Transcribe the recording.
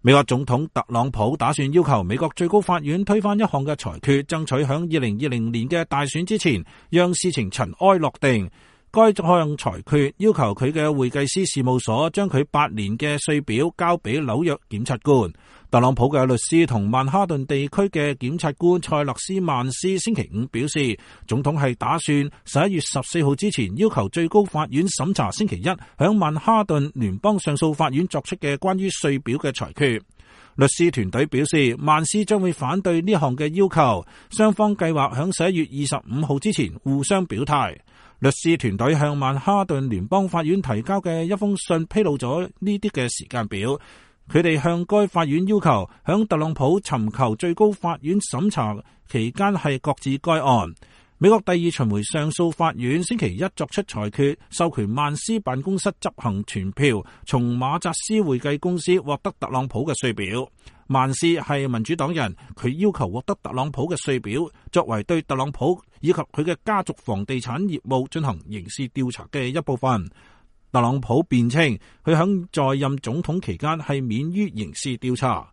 美國總統特朗普打算要求美國最高法院推翻一項嘅裁決，爭取響2020年嘅大選之前，讓事情塵埃落定。該項裁決要求佢嘅會計師事務所將佢8年嘅稅表交俾紐約檢察官。特朗普嘅律師同曼哈頓地區嘅檢察官塞勒斯曼斯星期5表示，總統係打算11月14號之前要求最高法院審查星期一響曼哈頓聯邦上訴法院作出嘅關於稅表嘅裁決。律師團隊表示，曼斯將會反對呢項嘅要求，雙方計劃響11月25號之前互相表態。律師團隊向曼哈頓聯邦法院提交嘅一封信披露咗呢啲嘅時間表，佢哋向該法院要求響特朗普尋求最高法院審查期間係擱置該案。美國第二巡迴上訴法院星期一作出裁決，授權曼斯辦公室執行傳票，從馬扎斯會計公司獲得特朗普嘅稅表。曼斯係民主黨人，佢要求獲得特朗普嘅稅表，作為對特朗普以及佢嘅家族房地產業務進行刑事調查嘅一部分。特朗普辯稱，佢喺在任總統期間係免於刑事調查。